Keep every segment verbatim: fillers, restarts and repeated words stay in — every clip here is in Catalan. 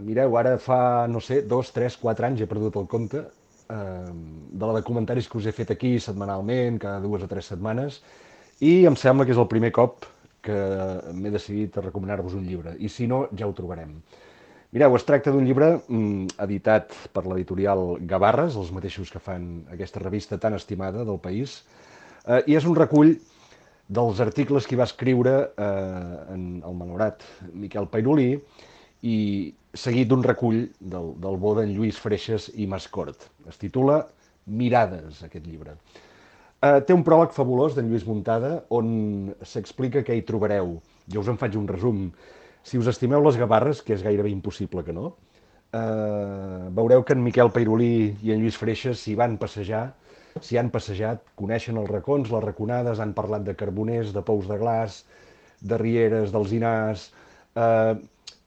mireu, ara fa, no sé, dos, tres, quatre anys, he perdut el compte, eh, de la de comentaris que us he fet aquí setmanalment, cada dues o tres setmanes, i em sembla que és el primer cop que m'he decidit a recomanar-vos un llibre. I si no, ja ho trobarem. Mireu, es tracta d'un llibre mm, editat per l'editorial Gavarres, els mateixos que fan aquesta revista tan estimada del país, eh, i és un recull dels articles que hi va escriure eh, en el malaurat Miquel Pairulí i seguit d'un recull del, del bo d'en Lluís Freixes i Mascort. Es titula Mirades, aquest llibre. Eh, té un pròleg fabulós d'en Lluís Muntada on s'explica què hi trobareu. Jo us en faig un resum. Si us estimeu les Gavarres, que és gairebé impossible que no, eh, veureu que en Miquel Pairulí i en Lluís Freixes s'hi van passejar, s'hi han passejat, coneixen els racons, les raconades, han parlat de carboners, de pous de glaç, de rieres, d'alzinars. Eh,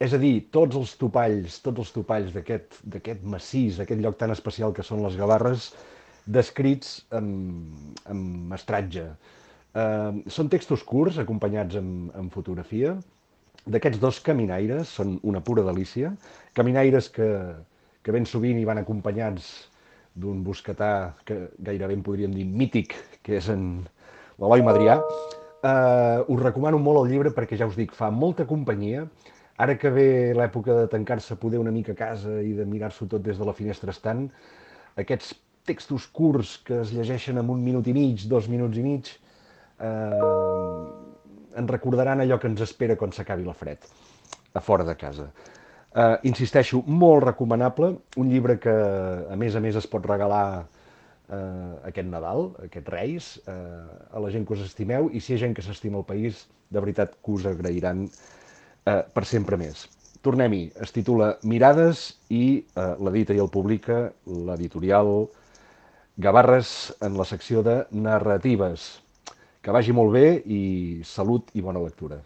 és a dir, tots els topalls, tots els topalls d'aquest massís, aquest lloc tan especial que són les Gavarres, descrits amb, amb mestratge. Eh, són textos curts, acompanyats amb, amb fotografia, d'aquests dos caminaires, són una pura delícia, caminaires que, que ben sovint hi van acompanyats d'un bosquetà que gairebé en podríem dir mític, que és en l'Eloi Madrià. Uh, us recomano molt el llibre perquè ja us dic, fa molta companyia. Ara que ve l'època de tancar-se poder una mica a casa i de mirar-s'ho tot des de la finestra estant, aquests textos curts que es llegeixen en un minut i mig, dos minuts i mig, eh, ens recordaran allò que ens espera quan s'acabi la fred, a fora de casa. Uh, insisteixo, molt recomanable, un llibre que a més a més es pot regalar uh, aquest Nadal, aquest Reis, uh, a la gent que us estimeu, i si hi ha gent que s'estima el país, de veritat que us agrairan uh, per sempre més. Tornem-hi, es titula Mirades i uh, l'edita i el publica l'editorial Gavarres en la secció de narratives. Que vagi molt bé i salut i bona lectura.